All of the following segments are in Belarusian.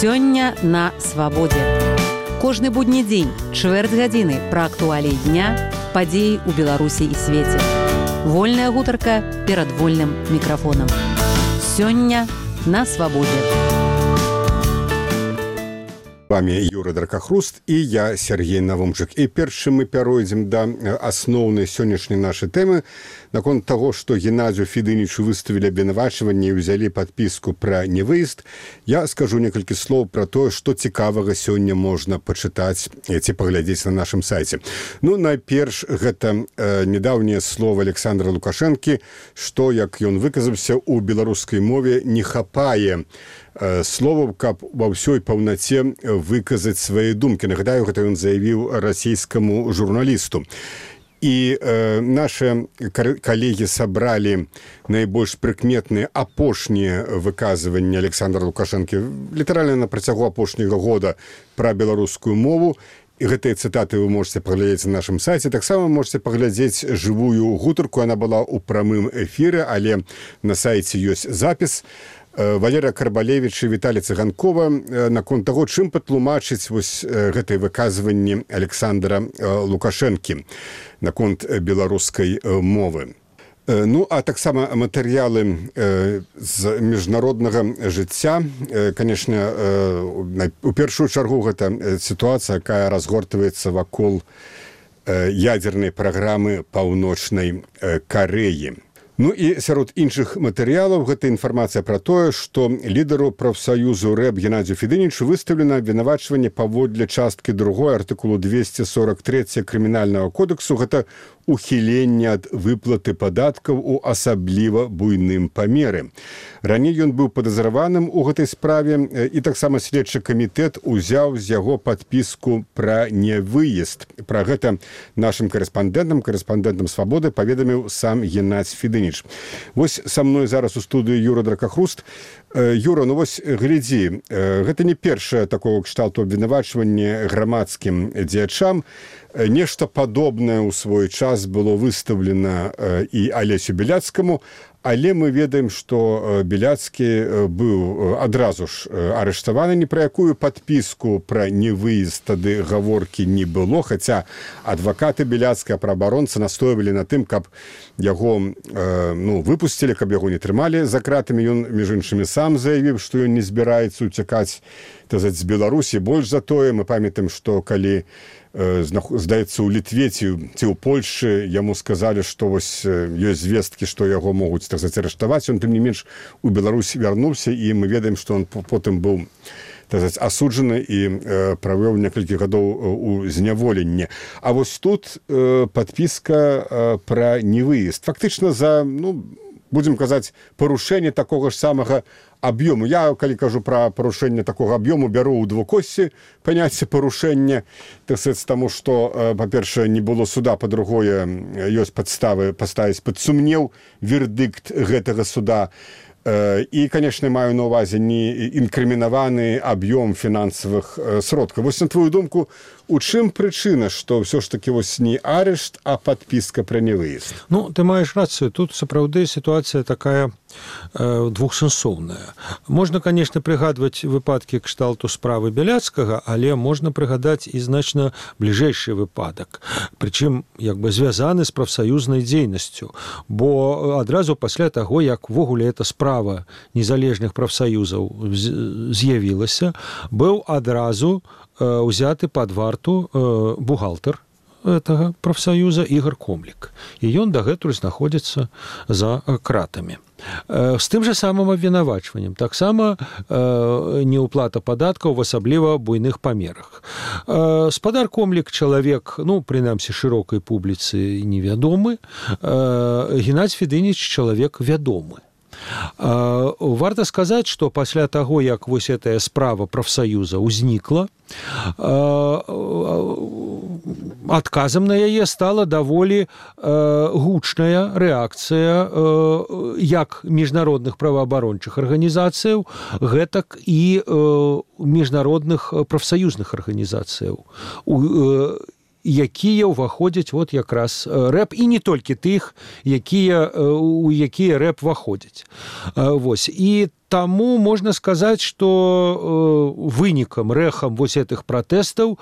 Сёння на свабодзе. Кожны будні дзень, чвэрць гадзіны пра актуаліі дня, падзеі ў Беларусі і свеце. Вольная гутарка перад вольным мікрафонам. Сёння на свабодзе. Вами Юра Дракахруст і я, Сергей Навумчык. І першым мы пяройдзем да асноўнай сённяшняй нашай тэмы наконт таго, што Геннадзію Федынічу выставілі абвінавачванне і ўзялі падпіску пра невыезд. Я скажу некалькі слоў пра тое, што цікавага сёння можна пачытаць ці паглядзець на нашым сайце. Ну, найперш, гэта недаўнія словы Александра Лукашэнкі, што, як ён выказаўся, у беларускай мове не хапае словаў, каб ва ўсёй паўнаце выказаць свае думкі. Нагадаю, гэта ён заявіў расійскаму журналісту. І наши калегі сабралі найбольш прыкметныя апошнія выказванні Александра Лукашэнкі літаральна на працягу апошняга года пра беларускую мову. І гэтыя цытаты вы можете паглядзець на нашым сайце. Таксама можете паглядзець жывую гутарку. Яна была ў прамым эфіры, але на сайце ёсць запіс. Валерія Карбалевіч і Віталій Цыганкова наконт таго, чым патлумачыць вось гэтыя выказванні Александра Лукашэнкі наконт беларускай мовы. Ну, а таксама матэрыялы з міжнароднага жыцця. Канешне, у першую чаргу гэта сітуацыя, якая разгортваецца вакол ядзернай праграмы Паўночнай Карэі. Ну і сярод іншых матэрыялаў гэта інфармацыя пра тое, што лідару прафсаюзу РЭБ Геннадзію Федынічу выставлена абвінавачванне паводле часткі 2 артыкулу 243 крымінальнага кодексу. Гэта ухіленне ад выплаты падаткаў у асабліва буйным памеры. Раней ён быў падазраваным у гэтай справе, і таксама следчы камітэт узяў з яго падпіску пра невыезд. Пра гэта нашым карэспандэнтам «Свабоды» паведаміў сам Геннадзь Федыніч. Вось са мной зараз у студыі Юра Дракахруст. Юра, ну вось глядзі, гэта не першае такого кшталту абвінавачванне грамадскім дзеячам. Нешта падобнае ў свой час было выстаўлена і Алесю Беляцкаму, але мы ведаем, што Беляцкі быў адразу ж арыштаваны. Ні пра якую падпіску пра невыезд тады гаворкі не было, хаця адвакаты Беляцкага, праабаронцы настойвалі на тым, каб яго выпусцілі, каб яго не трымалі за кратамі. Ён, між іншымі, сам заявіў, што ён не збіраецца уцякаць з Беларусі. Больш за тое, мы памятаем, што калі здаецца, у Літве ці ў Польшчы яму сказалі, што вось ёсць звесткі, што яго могуць арыштаваць. Ён, тым не менш, у Беларусі вярнуўся, і мы ведаем, што ён потым быў асуджаны і правёў некалькі гадоў у зняволенні. А вось тут падпіска пра невыезд. Фактычна за, будзем казаць, парушэнне такога ж самага аб'ёму. Я, калі кажу пра парушэнне такога аб'ёму, бяру ў двукосці паняцце парушэння, таму што, па-першае, не было суда, па-другое, ёсць падставы паставіць пад сумнеў вердыкт гэтага суда. І, канешне, маю на ўвазе не інкрымінаваны аб'ём фінансавых сродкаў. Вось, на твою думку, у чым прычына, што ўсё ж такі вось не арышт, а падпіска пра невыезд? Ну, ты маеш рацыю. Тут, сапраўды, сітуацыя такая двухсэнсоўная. Можна, канешне, прыгадваць выпадкі кшталту справы Беляцкага, але можна прыгадаць і значна бліжэйшы выпадак. Прычым, звязаны з прафсаюзнай дзейнасцю. Бо адразу пасля таго, як ввогуле эта справа незалежных прафсаюзаў з'явілася, быў адразу узяты пад варту бухгалтар гэтага прафсаюза Ігор Комлік. І ён дагэтуль знаходзіцца за кратамі. З тым жа самым абвінавачваннем. Таксама неўплата падаткаў в асабліва буйных памерах. Спадар Комлік чалавек, прынамсі, шырокай публіцы невядомы. Геннадзь Федыніч чалавек вядомы. Варта сказаць, што пасля таго, як вось гэтая справа прафсаюза ўзнікла, адказам на яе стала даволі гучная рэакцыя як міжнародных праваабарончых арганізацыяў, гэтак і міжнародных прафсаюзных арганізацыяў. якія ўваходзяць вот якраз рэп, і не толькі тых, у якія рэп ваходзяць. Вось. І таму можна сказаць, што вынікам, рэхам вось гэтых пратэстаў,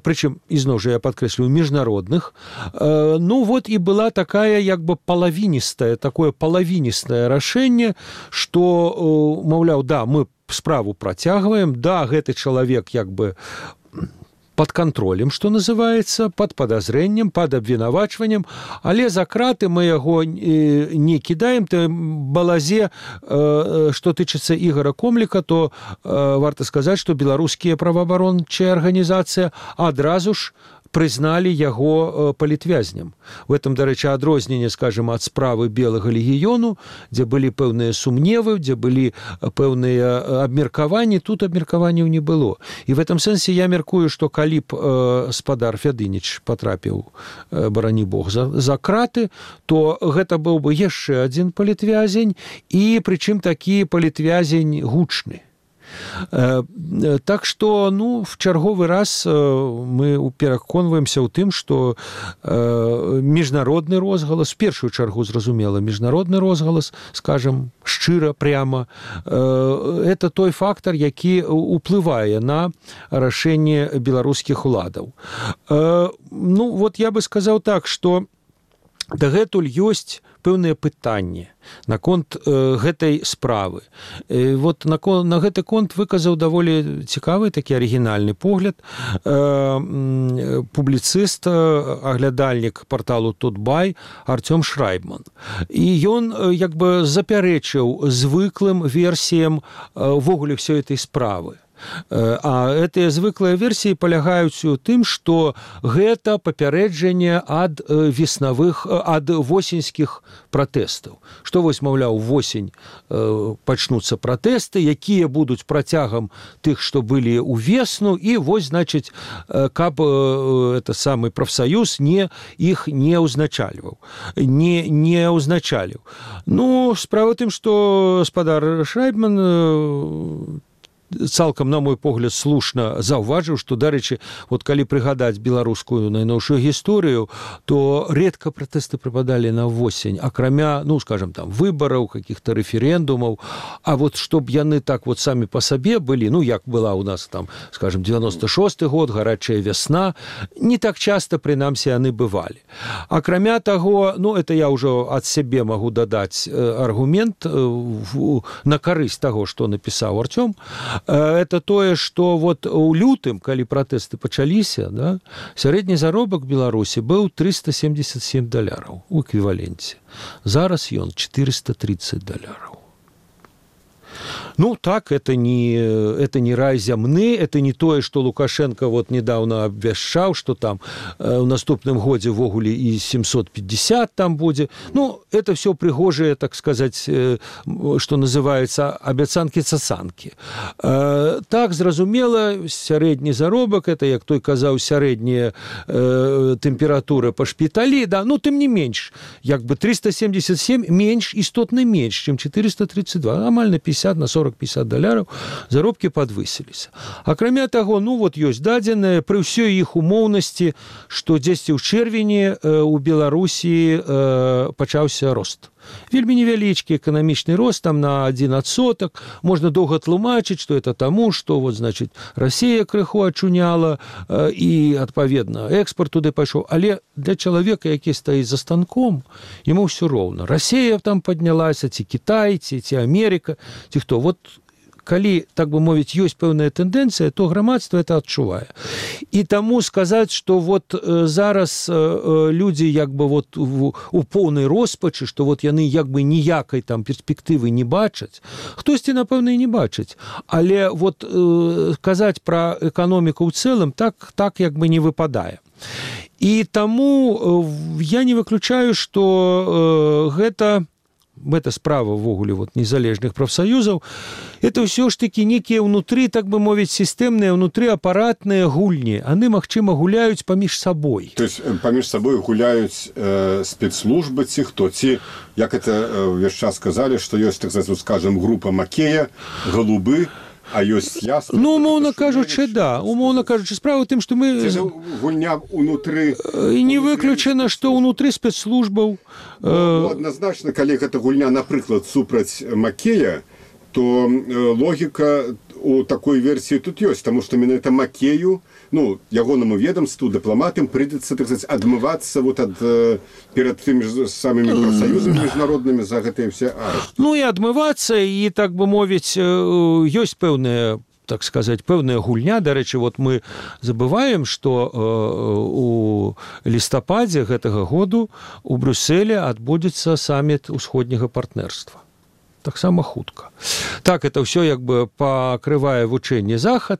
прычым, ізноў жа я падкрэслю, міжнародных, ну вот і была такая як бы такое палавіністае рашэнне, што, маўляў, да, мы справу працягваем, да, гэты чалавек як бы под контролем, што называецца, под подозрением, под абвінавачваннем, але за краты мы яго не кідаем. Балазе, што тычыцца Ігора Комліка, то варта сказаць, што беларускія праваабарончыя арганізацыі адразу ж прызналі яго палітвязням. В этом, дарэчы, адрозненне, скажем, ад справы Белага легіёну, дзе былі пэўныя сумневы, дзе былі пэўныя абмеркаванні, тут абмеркаванняў не было. І в этом сэнсе я мяркую, што калі б спадар Фядыніч патрапіў, барані Бог, за краты, то гэта быў бы яшчэ адзін палітвязень, і прычым такі палітвязень гучны. Так што, ну, в чарговы раз мы пераконваемся ў тым, што міжнародны розгалас, в першую чаргу, зразумела, міжнародны розгалас, скажем, шчыра, пряма, это той фактар, які уплывае на рашэнне беларускіх уладаў. Ну, вот я бы сказаў так, што дагэтуль ёсць пэўныя пытанні наконт гэтай справы. Вот на гэты конт выказаў даволі цікавы такі арыгінальны погляд публіцыст, аглядальнік парталу Тутбай Артём Шрайбман. І ён як бы запярэчыў звыклым версіям увогуле ўсёй этой справы. А гэтыя звыклыя версіі палягаюць у тым, што гэта папярэджанне ад восеньскіх пратэстаў. Што вось, маўляў, восень пачнуцца пратэсты, якія будуць працягам тых, што былі ў весну, і вось, значыць, каб это самы прафсаюз іх не ўзначальваў. Не ўзначаліў. Ну, справа тым, што спадар Шрайбман цалкам, на мой погляд, слушна заўважыў, што, дарэчы, вот калі прыгадаць беларускую найноўшую гісторыю, то редка пратэсты прыпадалі на восень, акрамя, ну, скажем, там, выбараў, каких-то рэферэндумаў, а вот чтоб яны так вот самі па сабе былі, ну, як была у нас там, скажем, 96-й год, гарачая вясна, не так часта, прынамсі, яны бывалі. Акрамя таго, ну, это я ўжо ад сябе магу дадаць аргумент на карысць таго, што напісаў Артём. Это тое, што вот у лютым, калі пратэсты пачаліся, да, сярэдні заробак Беларусі быў $377 у эквіваленце. Зараз ён $430. Ну, так, это не рай зямны, это не тое, што Лукашенко вот недавно абвяшчаў, што там у наступным годзе ввогуле і 750 там будзе. Ну, это все прыгожыя, так сказаць, што называецца абяцанкі-цацанкі. Так, зразумела, сярэдні заробак, это, як той казаў, сярэдняя тэмпература па шпіталі, да, ну, тым не менш, як бы 377 менш, істотна менш, чым 432, амаль на 50, на 40-50 заробкі падвысіліся. Акрамя таго, ну вот ёсць дадзеныя пры ўсёй іх умоўнасці, што дзесьці ў чэрвені у Беларусі пачаўся рост. Вельмі невялічкі эканамічны рост, там на 1%. Можна доўга тлумачыць, што это таму, што вот, значит, Расія крыху ачуняла і, адпаведна, экспорт туды пайшоў. Але для чалавека, які стаіць за станком, яму ўсё роўна. Расія там паднялася, ці Кітай, ці Амерыка, ці хто. Вот калі, так бы мовіць, ёсць пэўная тэндэнцыя, то грамадства это адчувае. І таму сказаць, што вот зараз людзі як бы вот у поўнай роспачы, што вот яны як бы ніякай там перспектывы не бачаць, хтосьці, напэўна, і не бачыць. Але вот казаць пра эканоміку ў цэлым так як бы не выпадае. І таму я не выключаю, што гэта справа ввогуле вот незалежных прафсаюзаў, это ўсё ж такі некія ўнутры, так бы мовіць, сістэмныя, ўнутры апаратныя гульні. Яны, магчыма, гуляюць паміж сабой. То есть паміж сабой гуляюць спецслужбы ці хто? Ці, як это ўвесь час сказалі, што ёсць, так сказаць, скажем, група Макея, Галубы, А ёсць ясна? Ну, умоўна кажучы, да. Умоўна кажучы, справа ў тым, што мы... Це ж гульня ўнутры... Не выключана, што ўнутры спецслужбаў... Адназначна, калі гэта гульня, напрыклад, супраць Макея, то логіка у такой версіі тут ёсць, таму што менавіта Макею, ну, ягонаму ведомству, дыпламатам прыйдзецца, так сказаць, адмывацца вот ад перад тымі ж самымі прафсаюзамі міжнароднымі за гэтыя все арышты. Ну, і адмывацца, і, так бы мовіць, ёсць пэўныя, так сказать, пэўная гульня. Дарэчы, вот мы забываем, што у лістападзе гэтага году у Брюсселе адбудзецца саміт усходняга партнерства. Таксама хутка. Так, это ўсё як бы пакрывае вучэнне захад,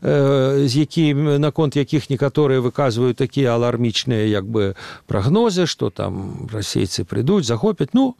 з якім, наконт якіх некаторыя выказваюць такія алармічныя як бы прагнозы, што там расейцы прыйдуць, захопяць. Ну,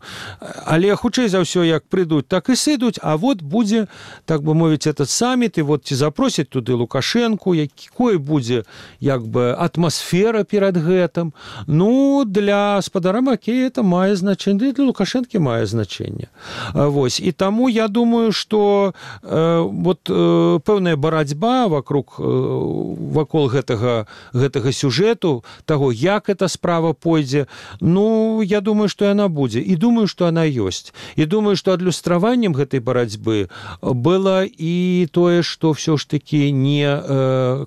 але хутчэй за ўсё, як прыйдуць, так і сыдуць, а вот будзе, так бы мовіць, этот саміт, і вот ці запросяць туды Лукашэнку, якой будзе як бы атмасфера перад гэтым. Ну, для спадара Макея это мае значэнне, для Лукашэнкі мае значэнне. Вось. І таму я думаю, што вот пэўная барацьба вакол гэтага сюжэту, таго, як эта справа пойдзе, ну, я думаю, што яна будзе. І думаю, што яна ёсць. І думаю, што адлюстраваннем гэтай барацьбы было і тое, што ўсё ж такі не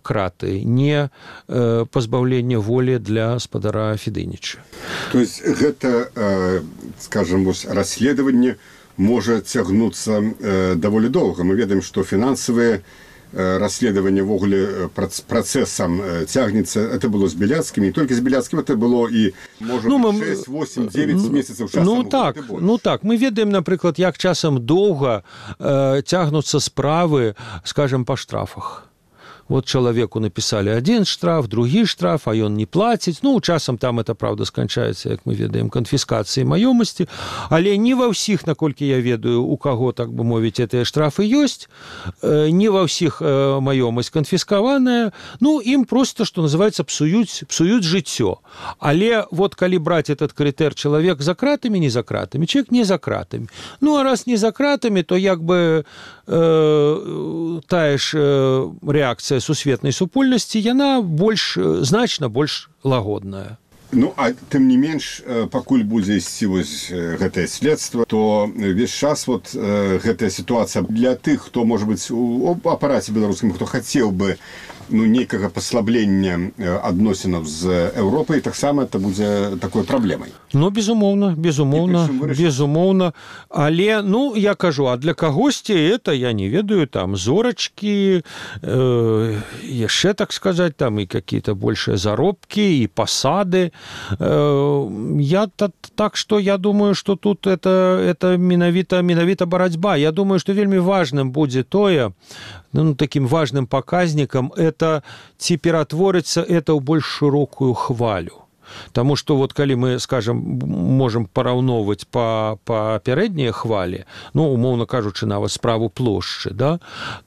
краты, не пазбаўленне волі для спадара Федыніча. То есть гэта, скажем, расследаванне можа цягнуцца даволі доўга. Мы ведаем, што фінансавыя расследаванне ввогуле працэсам цягнецца. Это было з Беляцкім, не толькі з Беляцкім, это было і, можа, 6, 8, 9 месяцаў часам. Ну так, мы ведаем, напрыклад, як часам доўга цягнуцца справы, скажем, па штрафах. Вот человеку написали один штраф, другі штраф, а ён не плаціць. Ну, часам там это, правда, сканчаецца, як мы ведаем, канфіскацыяй маёмасці, але не ва ўсіх, наколькі я ведаю, у каго, так бы мовіць, гэтыя штрафы ёсць, не ва ўсіх маёмасць канфіскаваная, ну, ім просто, што называецца, псуюць жыццё. Але вот калі браць этот крытэр, чалавек за кратамі, не за кратамі, чалавек не за кратамі. Ну, а раз не за кратамі, то як бы тая ж рэакцыя сусветнай супольнасці, яна значна больш лагодная. Ну, а тым не менш, пакуль будзе ісці вось гэтае следства, то весь час вот гэтая сітуацыя для тых, хто, можа быць, у апараце беларускім, хто хацеў бы нейкага паслаблення адносінаў з Еўропай, таксама это будзе такой праблемай. Ну, безумоўна. Але, ну, я кажу, а для кагосьці это, я не ведаю, там, зорачкі, яшчэ, так сказаць, там, і какие-то большие заробкі, і пасады. Я так, што я думаю, што тут это менавіта барацьба. Я думаю, што вельмі важным будзе тое, ну, таким важным показником, это ці ператворыцца это ў больш шырокую хвалю. Таму што вот калі мы, скажем, можам параўноўваць па пярэднія хвалі, ну, умоўна кажучы, нават справу плошчы, да,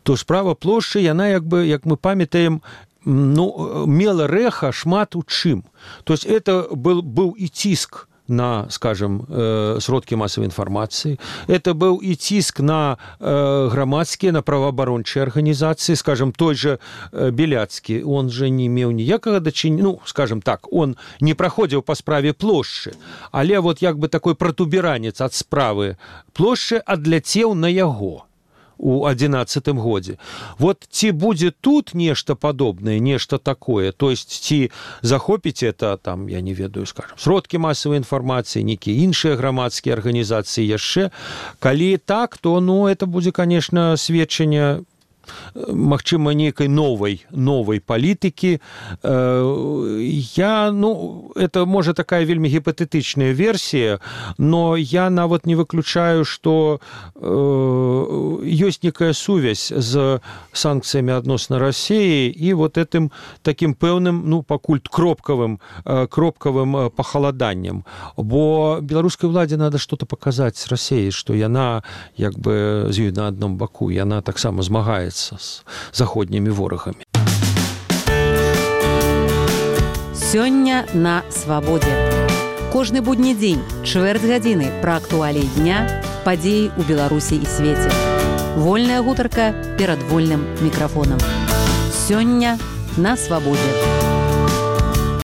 то справа плошчы, яна, як мы памятаем, ну, мела рэха шмат у чым. То есть это быў і ціск на, скажем, сродкі масавай інфармацыі. Это быў і ціск на грамадскія, на праваабарончыя арганізацыі. Скажем, той же Беляцкі, он же не меў ніякага дачынення, ну, скажем так, он не праходзіў па справе плошчы, але вот як бы такой пратуберанец ад справы плошчы адляцеў на яго у 11-м годзе. Вот ці будзе тут нешта падобнае, нешта такое, то есть ці захопіць это, там, я не ведаю, скажем, сродкі масавай інфармацыі, нейкія іншыя грамадскія арганізацыі яшчэ. Калі так, то, ну, это будзе, конечно, сведчанне, магчыма, нейкай новай палітыкі. Это, можа, такая вельмі гіпатэтычная версія, но я нават не выключаю, што ёсць некая сувязь з санкцыямі адносна Расіі і вот этим таким пэўным, ну, пакуль кропкавым пахаладаннем. Бо беларускай уладзе надо что-то паказаць Расіі, што яна як бы з ёй на адном баку, яна таксама змагаецца з заходнімі ворагамі. Сёння на свабодзе. Кожны будні дзень, чвэрць гадзіны пра актуаліі дня, падзеі ў Беларусі і свеце. Вольная гутарка перад вольным мікрафонам. Сёння на свабодзе.